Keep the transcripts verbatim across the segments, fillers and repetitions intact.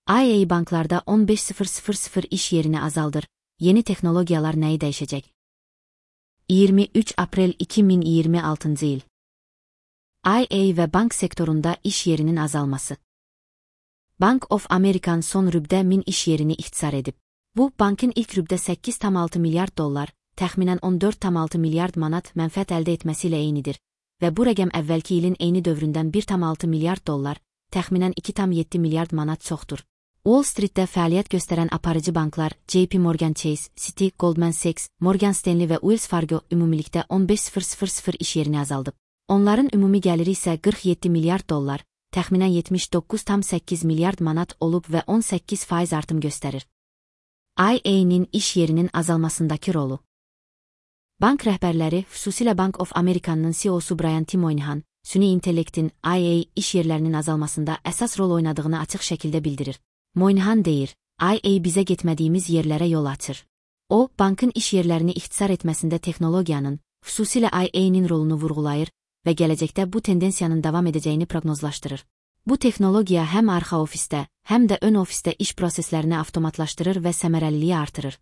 I A banklarda on beş bin iş yerini azaldır. Yeni teknologiyalar neyi değişecek? iyirmi üç April iki min iyirmi altıncı yıl. I A ve bank sektöründe iş yerinin azalması. Bank of America son rübde min iş yerini ihtisar edip, bu bankın ilk rübde sekiz virgül altı milyard dollar, təxminən on dörd virgül altı milyard manat mənfəət əldə etməsiyle eynidir və bu rəqəm əvvəlki ilin eyni dövründən bir virgül altı milyard dollar, təxminən iki virgül yeddi milyard manat çoxdur. Wall Street'də fəaliyyət göstərən aparıcı banklar J P Morgan Chase, Citi, Goldman Sachs, Morgan Stanley və Wells Fargo ümumilikdə on beş min iş yerini azaldıb. Onların ümumi gəliri isə qırx yeddi milyard dollar, təxminən yetmiş doqquz virgül səkkiz milyard manat olub və on səkkiz faiz artım göstərir. I A'nin iş yerinin azalmasındakı rolu. Bank rəhbərləri, xüsusilə Bank of America'nın C E O'su Brian T. Moynihan, süni intellektin I A iş yerlərinin azalmasında əsas rol oynadığını açıq şəkildə bildirir. Moynihan deyir, I A bizə getmədiyimiz yerlərə yol açır. O, bankın iş yerlərini ixtisar etməsində texnologiyanın, xüsusilə I A'nin rolunu vurğulayır və gələcəkdə bu tendensiyanın davam edəcəyini proqnozlaşdırır. Bu texnologiya həm arxa ofisdə, həm də ön ofisdə iş proseslərini avtomatlaşdırır və səmərəliliyi artırır.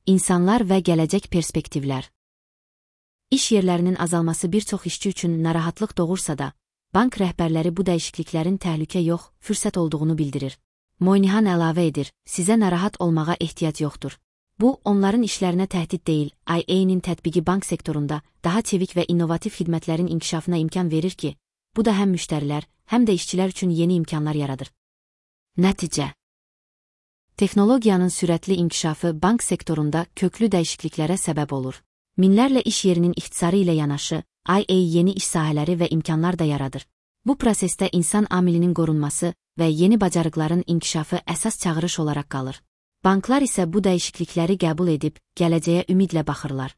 İnsanlar və gələcək perspektivlər. İş yerlərinin azalması bir çox işçi üçün narahatlıq doğursa da, bank rəhbərləri bu dəyişikliklərin təhlükə yox, fürsət olduğunu bildirir. Moynihan əlavə edir, sizə narahat olmağa ehtiyac yoxdur. Bu, onların işlərinə təhdid deyil, I A'nin tətbiqi bank sektorunda daha çevik və innovativ xidmətlərin inkişafına imkan verir ki, bu da həm müştərilər, həm də işçilər üçün yeni imkanlar yaradır. Nəticə. Texnologiyanın sürətli inkişafı bank sektorunda köklü dəyişikliklərə səbəb olur. Minlərlə iş yerinin ixtisarı ilə yanaşı, I A yeni iş sahələri və imkanlar da yaradır. Bu prosesdə insan amilinin qorunması və yeni bacarıqların inkişafı əsas çağırış olaraq qalır. Banklar isə bu dəyişiklikləri qəbul edib, gələcəyə ümidlə baxırlar.